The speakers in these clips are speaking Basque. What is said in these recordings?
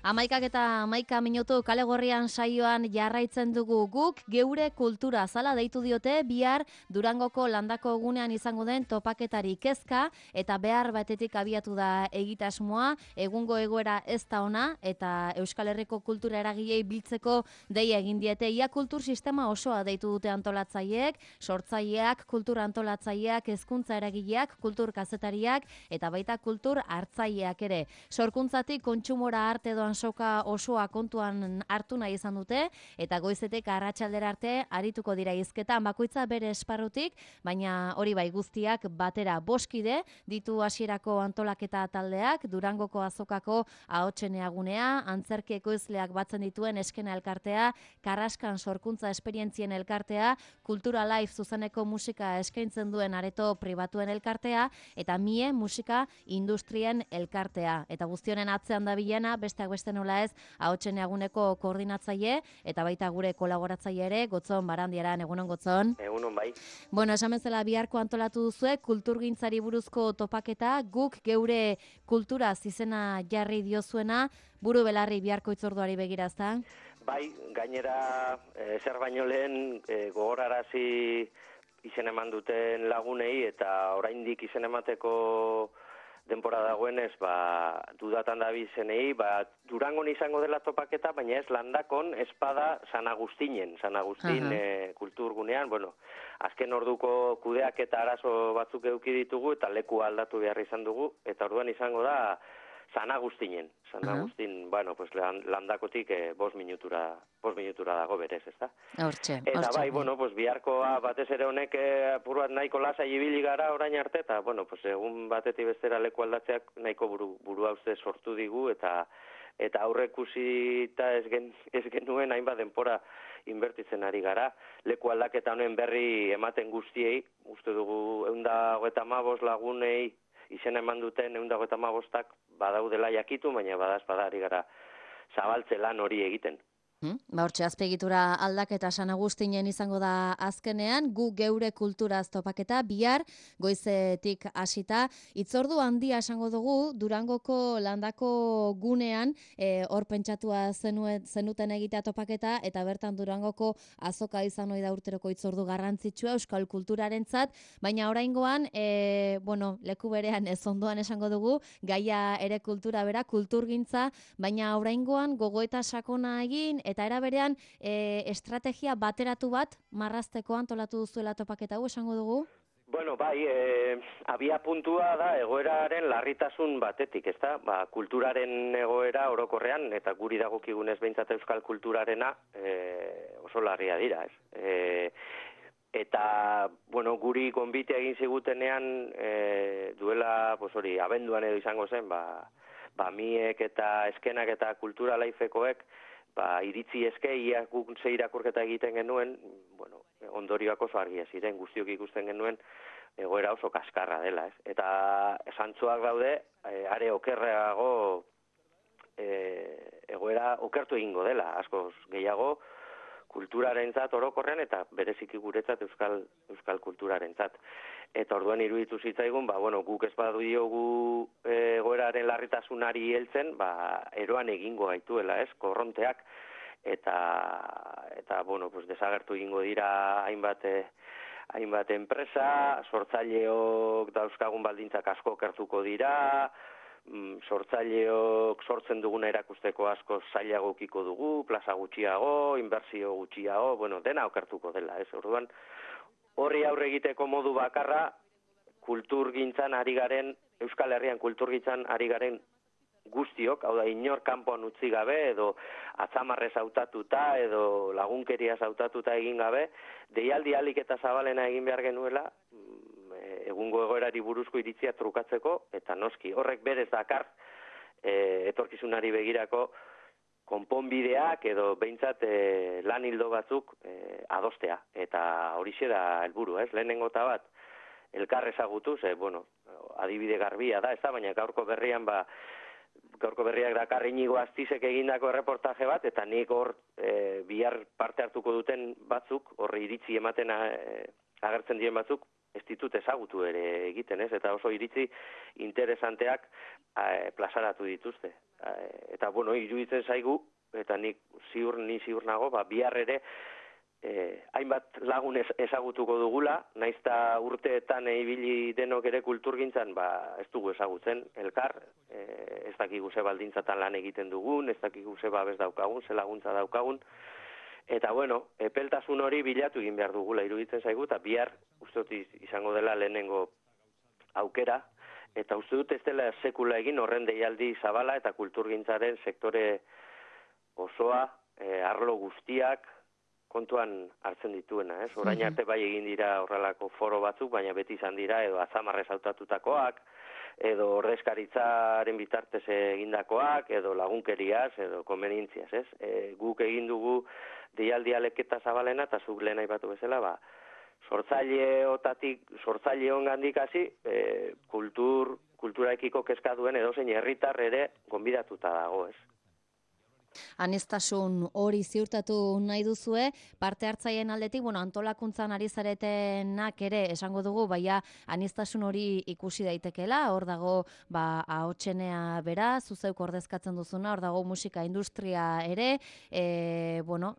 11:11 kale gorrian saioan jarraitzen dugu guk geure kultura zala deitu diote bihar Durangoko landako egunean izango den topaketari kezka eta behar batetik abiatu da egitasmoa, egungo egoera ez da ona eta Euskal Herriko kultura eragilei biltzeko deia egin diete. Ia kultur sistema osoa deitu dute antolatzaileek, sortzaileak, kultura antolatzaileak, hezkuntza eragileak, kultur kazetariak eta baita kultur hartzaileak ere. Sorkuntzatik kontsumora arte doan soka osoa kontuan hartu nahi izan dute eta goizetek arratsaldera arte arituko dira hizketan bakoitza bere esparrutik, baina hori bai guztiak batera boskide ditu hasierako antolaketa taldeak, Durangoko azokako ahotseneagunea, antzerki ekoizleak batzen dituen eskena elkartea, Karraskan sorkuntza esperientzien elkartea, Kultura Live zuzeneko musika eskaintzen duen areto pribatuen elkartea eta Mie musika industrien elkartea. Eta guztionen atzean da bilena, besteak beste nola ez, ahotseneaguneko koordinatzaile eta baita gure kolaboratzaile ere, Gotzon Barandiaran, egunon Gotzon. Egunon bai. Bueno, esan bezala biharko antolatu duzue, kulturgintzari buruzko topaketa, guk geure kulturaz izena jarri diozuena, buru belarri biharko itzorduari begirazta. Bai, gainera zer baino lehen gogorarazi izen eman duten lagunei eta oraindik izen emateko denbora dagoenez, dudatan da bizenei, Durangon izango dela topaketa, baina ez Landakon espada San Agustinen, San Agustin kulturgunean, azken orduko kudeak eta arazo batzuk eduki ditugu eta leku aldatu behar izan dugu, eta orduan izango da San Agustinen. San Agustin, Landakotik 5 minutura dago berez, ezta? Hortxe. Eta bai, biharkoa batez ere honek apur bat nahiko lasai ibili gara orain arte, eta, egun batetik bestera leku aldatzeak nahiko burua uste sortu digu, eta aurreikusita ez genuen hainbat denbora inbertitzen ari gara. Leku aldaketa honen berri ematen guztiei, uste dugu 155 lagunei izen eman duten 155ak badaudela jakitu, baina badazpadari gara zabaltze lan hori egiten. Hortxe, azpegitura aldaketa San Agustinen izango da azkenean, gu geure kulturaz topaketa, bihar goizetik hasita. Itzordu handia esango dugu, Durangoko landako gunean, hor pentsatua zenuten egitea topaketa, eta bertan Durangoko azoka izan ohi da urteroko itzordu garrantzitsua euskal kulturarentzat, baina oraingoan, leku berean ez ondoan esango dugu, gaia ere kultura bera, kulturgintza, baina oraingoan gogoeta sakona egin, eta era berean estrategia bateratu bat marrazteko antolatu duzuela topaketa hau esango dugu? Abia puntua da egoeraren larritasun batetik, ezta? Kulturaren egoera orokorrean, eta guri dagokigunez behintzat euskal kulturarena oso larria dira, ez? Eta, guri gonbite egin zigutenean duela, abenduan edo izango zen, Miek eta eskenak eta Kultura Lifekoek iritzi eske, ia guk ze irakurketa egiten genuen, ondorioak oso argia ziren, guztiok ikusten genuen, egoera oso kaskarra dela, ez? Eta zantzuak daude, are okerreago egoera okertu egingo dela, askoz gehiago, kulturarentzat orokorrean eta bereziki guretzat euskal kulturarentzat. Eta orduan iruditu zitzaigun, guk ez badu diogu egoeraren larritasunari heltzen, eroan egingo gaituela, ez, korronteak, eta desagertu egingo dira hainbat enpresa, sortzaileok dauzkagun baldintzak asko okertuko dira, sortzaileok sortzen duguna erakusteko asko zailago ukiko dugu, plaza gutxiago, inbertsio gutxiago, dena okertuko dela, ez, orduan, horri aurre egiteko modu bakarra, kulturgintzan ari garen, Euskal Herrian kulturgintzan ari garen guztiok, hau da, inor kanpoan utzi gabe, edo atzamarrez hautatuta, edo lagunkeriaz hautatuta egin gabe, deialdi ahalik eta zabalena egin behar genuela, egungo egoerari buruzko iritzia trukatzeko, eta noski, horrek berez dakar, etorkizunari begirako, konponbideak edo behintzat lan hildo batzuk adostea. Eta horixe da helburu, ez? Lehenengo eta bat, elkar ezagutu, adibide garbia da, ez da, baina gaurko berriak dakar Inigo Astizek egindako erreportaje bat, eta nik hor bihar parte hartuko duten batzuk, horri iritzi ematen agertzen dien batzuk, ez ditut ezagutu ere egiten, ez? Eta oso iritzi interesanteak plazaratu dituzte. Eta eta bueno, iruditzen zaigu, eta ni ziur nago, bihar ere, hainbat lagun ezagutuko dugula, naizta urteetan ibili denok ere kulturgintzan, ez dugu ezagutzen elkar, ez dakigu ze baldintzatan lan egiten dugun, ez dakigu ze babes daukagun, ze laguntza daukagun, eta bueno, epeltasun hori bilatu egin behar dugula iruditzen zaigu, eta bihar uste dut izango dela lehenengo aukera, eta uste dut ez dela sekula egin horren deialdi zabala eta kulturgintzaren sektore osoa, arlo guztiak kontuan hartzen dituena, ez? Orain arte bai egin dira horrelako foro batzuk, baina beti izan dira edo atzamarrez hautatutakoak, edo ordezkaritzaren bitartez egindakoak, edo lagunkeriaz, edo konvenientziaz, ez? Guk egin dugu deialdi aleketa zabalena, eta zuk lehen aipatu bezala, sortzaile ongandik hasi, kulturaekiko kezka duen edozein herritar ere gonbidatuta dago, ez? Aniztasun hori ziurtatu nahi duzue, parte hartzaileen aldetik, antolakuntzan ari zaretenak ere esango dugu, baina aniztasun hori ikusi daitekela, hor dago ahotsenea bera, zuzeuk ordezkatzen duzuna, hor dago musika industria ere,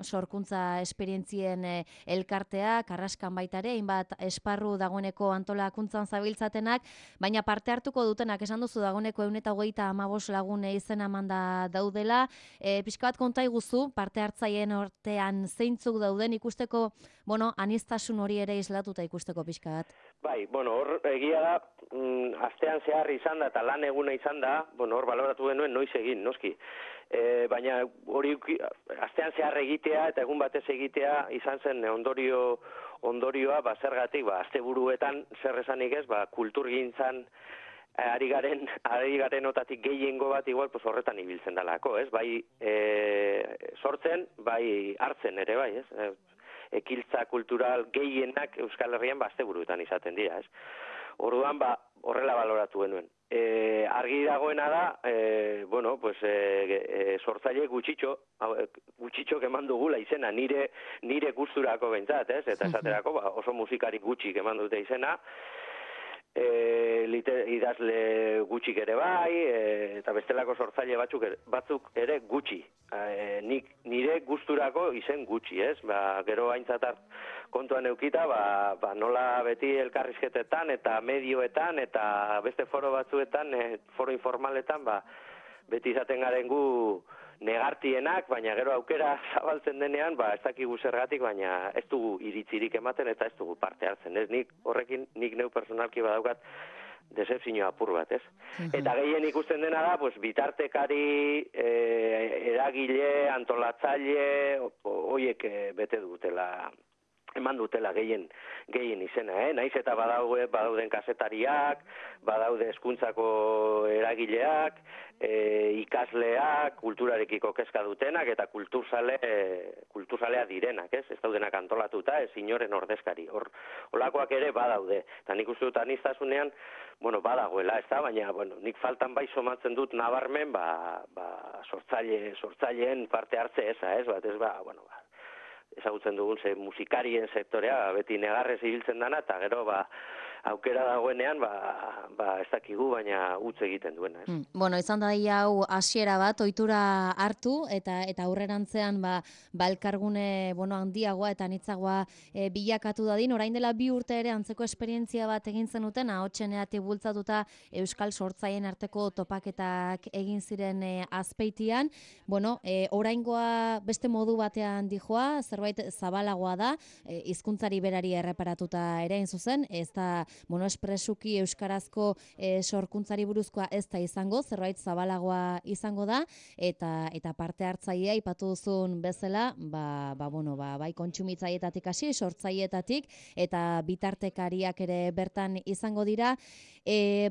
sorkuntza esperientzien elkartea, Karraskan baita ere, hainbat esparru dagoeneko antolakuntzan zabiltzatenak, baina parte hartuko dutenak, esan duzu dagoeneko 125 lagun izena emanda daudela, pixka bat konta iguzu, parte hartzaileen artean zeintzuk dauden ikusteko, aniztasun hori ere islatuta ikusteko pixka bat. Bai, hor egia da, astean zehar izan da eta lan eguna izan da, hor baloratu genuen noiz egin, noski. Baina hori astean zehar egitea eta egun batez egitea izan zen ondorioa, zergatik, asteburuetan zer esanik ez, kulturgintzan ari garen otatik gehiengo bat igual horretan ibiltzen dalako, ez? Bai sortzen, bai hartzen ere, bai, ez? Ekiltza kultural gehienak Euskal Herrian asteburuetan izaten dira, ez? Orduan, horrela baloratu genuen. Argi dagoena da, sortzaile gutxitxok eman dugula izena, nire gusturako behintzat, ez? Eta esaterako, oso musikari gutxik eman dute izena, idazle gutxik ere bai, eta bestelako sortzaile batzuk ere gutxi. Nire gusturako izen gutxi, ez? Gero aintzatar kontuan eukita, nola beti elkarrizketetan eta medioetan eta beste foro batzuetan, foro informaletan, beti izaten garen gu negartienak, baina gero aukera zabaltzen denean, ez dakigu zergatik, baina ez dugu iritzirik ematen eta ez dugu parte hartzen, ez? Nik neu personalki badaukat decepzio apur bat, ez? Eta gehien ikusten dena da, bitartekari, eragile, antolatzaile, horiek bete dutela, eman dutela gehien izena, naiz eta badauden kazetariak, badaude hezkuntzako eragileak, ikasleak, kulturarekiko kezka dutenak eta kulturzalea direnak, ez daudenak antolatuta, ez inoren ordezkari. Olakoak ere badaude, eta nik uste dut aniztasunean, badagoela, ez da, baina nik faltan bai somatzen dut nabarmen, sortzaileen parte hartze eza, ez, ezagutzen dugun musikarien sektorea beti negarrez ibiltzen dana, eta gero aukera dagoenean ez dakigu, baina utz egiten duena. Izan da hau hasiera bat, ohitura hartu, eta aurrerantzean elkargune handiagoa eta anitzagoa bilakatu dadin. Orain dela 2 urte ere antzeko esperientzia bat egin zenuten, ahotseneatik bultzatuta Euskal sortzaileen arteko topaketak egin ziren Azpeitian. Oraingoa beste modu batean dijoa, zerbait zabalagoa da, hizkuntzari berari erreparatuta ere hain zuzen, ez da espresuki euskarazko sorkuntzari buruzkoa ez da izango, zerbait zabalagoa izango da, eta parte hartzailea aipatu duzun bezala, bai kontsumitzaileetatik hasi, sortzaileetatik, eta bitartekariak ere bertan izango dira,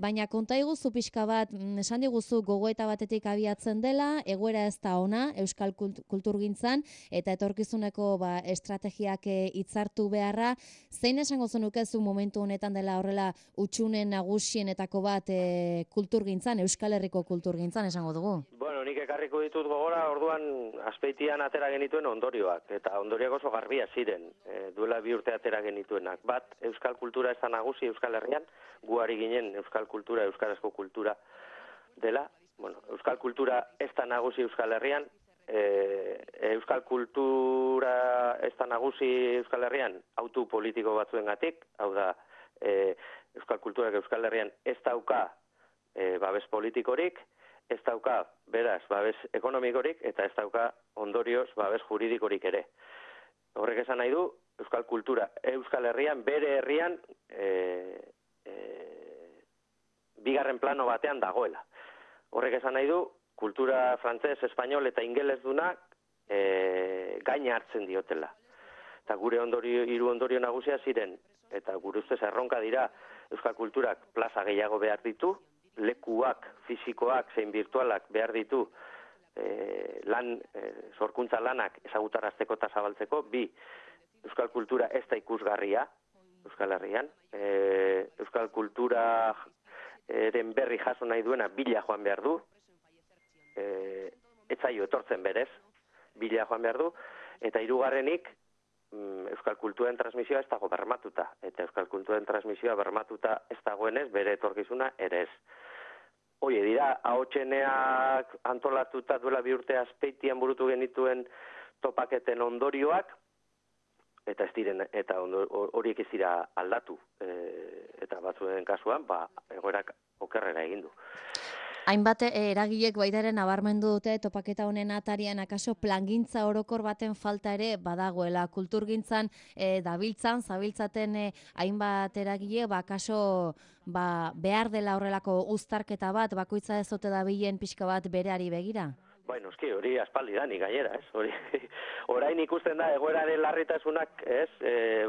baina konta iguzu pixka bat, esan diguzu gogoeta batetik abiatzen dela, egoera ez da ona, Euskal kulturgintzan, eta etorkizuneko estrategiak hitzartu beharra, zein esango zenukezu momentu honetan dela horrela utxunen nagusienetako bat kulturgintzan, Euskal Herriko kulturgintzan esango dugu? Nik ekarriko ditut gogora, orduan Azpeitian atera genituen ondorioak, eta ondorioak oso garbia ziren, duela 2 urte atera genituenak. Bat, Euskal kultura ez da nagusi Euskal Herrian, gu ari ginen Euskal kultura, euskarazko kultura dela, bueno, euskal kultura ez da nagusi Euskal Herrian, euskal kultura ez da nagusi Euskal Herrian autu politiko batzuengatik, hau da, euskal kulturak Euskal Herrian ez dauka babes politikorik, ez dauka, beraz, babes ekonomikorik, eta ez dauka ondorioz babes juridikorik ere. Horrek esan nahi du, euskal kultura Euskal Herrian, bere herrian, bigarren plano batean dagoela. Horrek esan nahi du, kultura frantzes, espainol eta ingeles dunak gaina hartzen diotela. Eta gure hiru ondorio nagusia ziren, eta gure ustez erronka dira, euskal kulturak plaza gehiago behar ditu, lekuak, fisikoak, zein virtualak behar ditu, sorkuntza lanak ezagutarazteko eta zabaltzeko, bi, euskal kultura ez da ikusgarria, Euskal Herrian, euskal kultura eren berri jaso nahi duena bila joan behar du, etzaio etortzen berez, bila joan behar du, eta hirugarrenik euskal kulturen transmisioa ez dago bermatuta, eta euskal kulturen transmisioa bermatuta ez dagoenez, bere etorkizuna ere ez. Oie, dira, ahotseneak antolatuta duela 2 urte Azpeitian burutu genituen topaketen ondorioak, eta ez diren, eta horiek ez dira aldatu, eta batzuen kasuan, egoerak okerrera egin du. Hainbat eragilek baitaren nabarmendu dute topaketa honen atarian akaso plangintza orokor baten falta ere badagoela. Kulturgintzan zabiltzaten hainbat eragile, akaso behar dela horrelako uztarketa bat, bakoitza ez ote dabilen pixka bat bereari begira? Bueno, eski, hori aspaldidanik gainera, ez? Orain ikusten da egoeraren larritasunak, ez?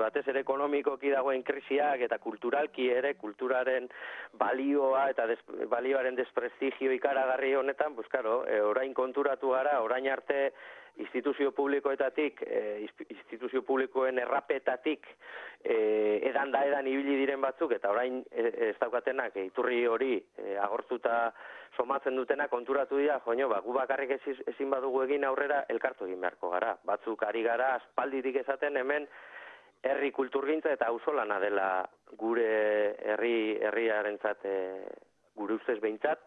Batez ere ekonomikoki dagoen krisiak eta kulturalki ere, kulturaren balioa eta balioaren desprestigio ikaragarri honetan, pues claro, orain konturatu gara, orain arte instituzio publikoetatik, instituzio publikoen errapetatik edan ibili diren batzuk, eta orain ez daukatenak iturri hori agortuta somatzen dutena konturatu dira, gu bakarrik ezin badugu egin aurrera elkartu egin beharko gara. Batzuk ari gara aspalditik esaten hemen herri kulturgintza eta auzolana dela gure herriarentzat, gure ustez behintzat,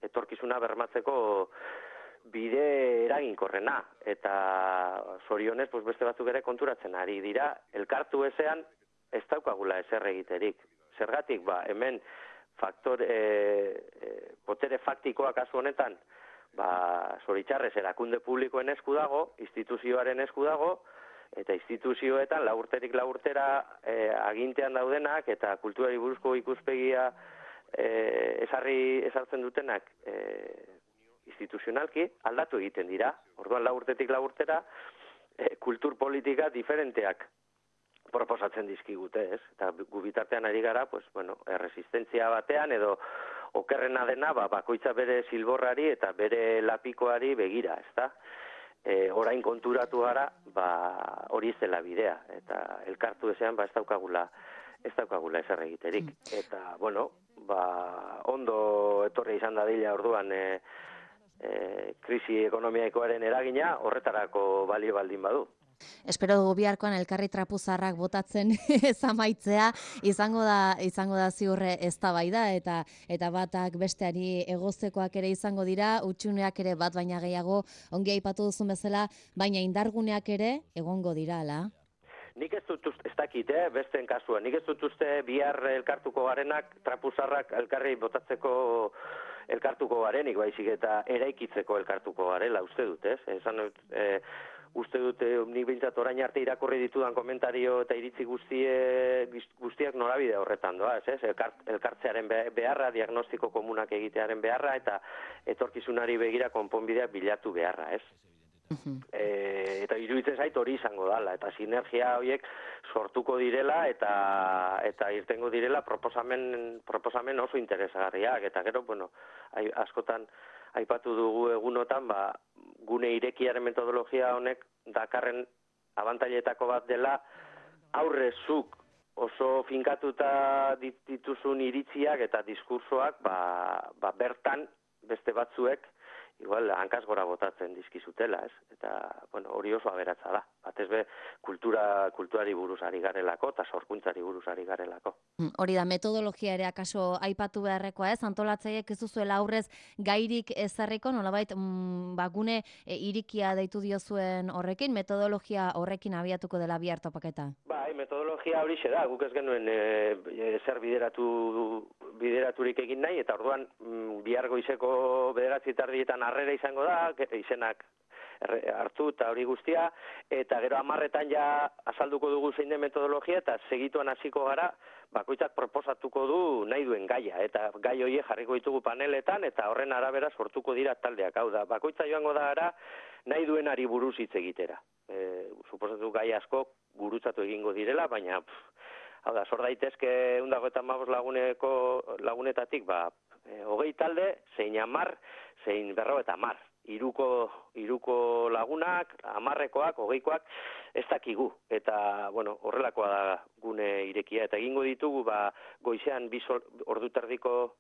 etorkizuna bermatzeko bide eraginkorrena, eta zorionez beste batzuk ere konturatzen ari dira, elkartu ezean ez daukagula ezer egiterik. Zergatik, hemen botere faktikoa kasu honetan, zoritxarrez erakunde publikoen esku dago, instituzioaren esku dago, eta instituzioetan laurterik laurtera agintean daudenak eta kulturari buruzko ikuspegia ezartzen dutenak instituzionalki aldatu egiten dira. Orduan laurtetik laurtera kultur politika diferenteak proposatzen dizkigute, ez? Eta gu bitartean ari gara, erresistentzia batean edo okerrena dena, bakoitza bere silborrari eta bere lapikoari begira, ezta? Orain konturatu gara, hori ez dela bidea, eta elkartu ezean ez daukagula ezer egiterik. Eta, ondo etorri izan dadila orduan krisi ekonomikoaren eragina horretarako balio baldin badu. Espero dugu biharkoan elkarri trapuzarrak botatzen ez amaitzea, izango da ziurre eztabaida eta batak besteari egoztekoak ere izango dira, utxuneak ere bat baina gehiago ongi aipatu duzun bezala, baina indarguneak ere egongo dira, ala? Nik ez dut ez dakit, besteen kasuan, nik ez dut uste bihar elkartuko garenak trapuzarrak elkarri botatzeko elkartuko garenik, baizik eta eraikitzeko elkartuko garela, uste dut, ez? Esan dut, uste dut, nik behintzat orain arte irakurri ditudan komentario eta iritzi guztiak norabide horretan doa, ez? Elkartzearen beharra, diagnostiko komunak egitearen beharra, eta etorkizunari begira konponbideak bilatu beharra, ez? Eta iruditzen zait hori izango dala, eta sinergia horiek sortuko direla eta irtengo direla proposamen oso interesagarriak, eta gero, askotan aipatu dugu egunotan, gune irekiaren metodologia honek dakarren abantailetako bat dela aurrezuk oso finkatuta dituzun iritziak eta diskursoak bertan beste batzuek igual hankaz gora botatzen dizkizutela, ez? Eta, bueno, hori oso aberatza da. Batez be, kulturari buruz ari garelako, eta sorkuntzari buruz ari garelako. Hori da, metodologia ere akaso aipatu beharrekoa, ez? Antolatzaileek ez duzuela aurrez gairik ezarriko, nolabait, gune irikia deitu diozuen horrekin, metodologia horrekin abiatuko dela bihar topaketa. Bai, metodologia hori da, guk ez genuen zer bideraturik egin nahi, eta orduan bihar goizeko 9:30 harrera izango da, izenak hartu eta hori guztia, eta gero 10:00 ja azalduko dugu zein den metodologia, eta segituan hasiko gara, bakoitzak proposatuko du nahi duen gaia, eta gai horiek jarriko ditugu paneletan, eta horren arabera sortuko dira taldeak, hau da, bakoitza joango da gara nahi duenari buruz hitz egitera. Suposatu gai asko gurutzatu egingo direla, baina hau da, sor daitezke 155 lagunetatik, 20 talde, zein 10, zein 50. Hiruko lagunak, 10koak, 20koak, ez dakigu. Eta, bueno, horrelakoa da gune irekia. Eta egingo ditugu, goizean 2 ordu terdiko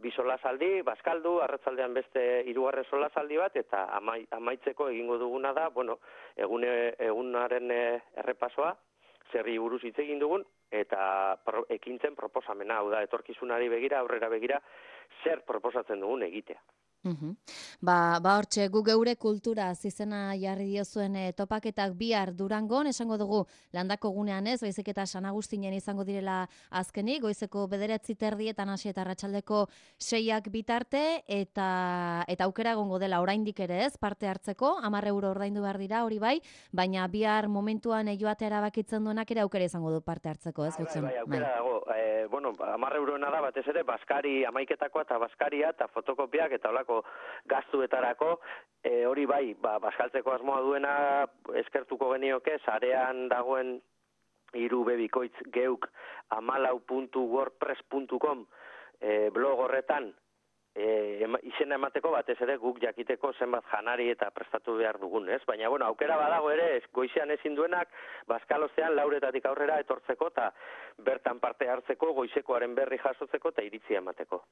2 solasaldi, bazkaldu, arratzaldean beste 3. solasaldi bat, eta amaitzeko egingo duguna da, bueno, egunaren errepasoa, zerri buruz hitz egin dugun, eta ekintzen proposamena, hau da, etorkizunari begira, aurrera begira, zer proposatzen dugun egitea. Hortxe, gu geure kultura izena jarri diozuen topaketak bihar Durangon, esango dugu landako gunean ez, baizik eta San Agustinen izango direla azkenik, goizeko 9:30 hasi eta arratsaldeko 6 bitarte, eta aukera egongo dela oraindik ere ez, parte hartzeko, 10 euro ordaindu behar dira, hori bai, baina bihar momentuan joatea erabakitzen duenak ere aukera izango du parte hartzeko, ez? Bai, aukera dago. 10 euroena da batez ere, baskari amaiketakoa eta baskaria eta fotokopiak eta olako gastuetarako, hori bai, baskaltzeko asmoa duena eskertuko genioke, sarean dagoen 3bikoitz geuk 14.wordpress.com blog horretan izena emateko batez ere guk jakiteko zenbat janari eta prestatu behar dugun, ez? Baina, bueno, aukera badago ere, goizean ezin duenak, bazkalostean 4:00 aurrera etortzeko eta bertan parte hartzeko, goizekoaren berri jasotzeko eta iritzia emateko.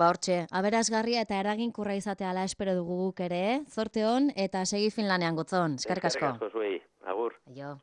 Hortxe, aberasgarria eta eraginkorra izateala espero dugu guk ere, zorte on eta segi fin lanean gotzon. Eskerrik asko. Eskerrik asko zuei. Agur. Aio.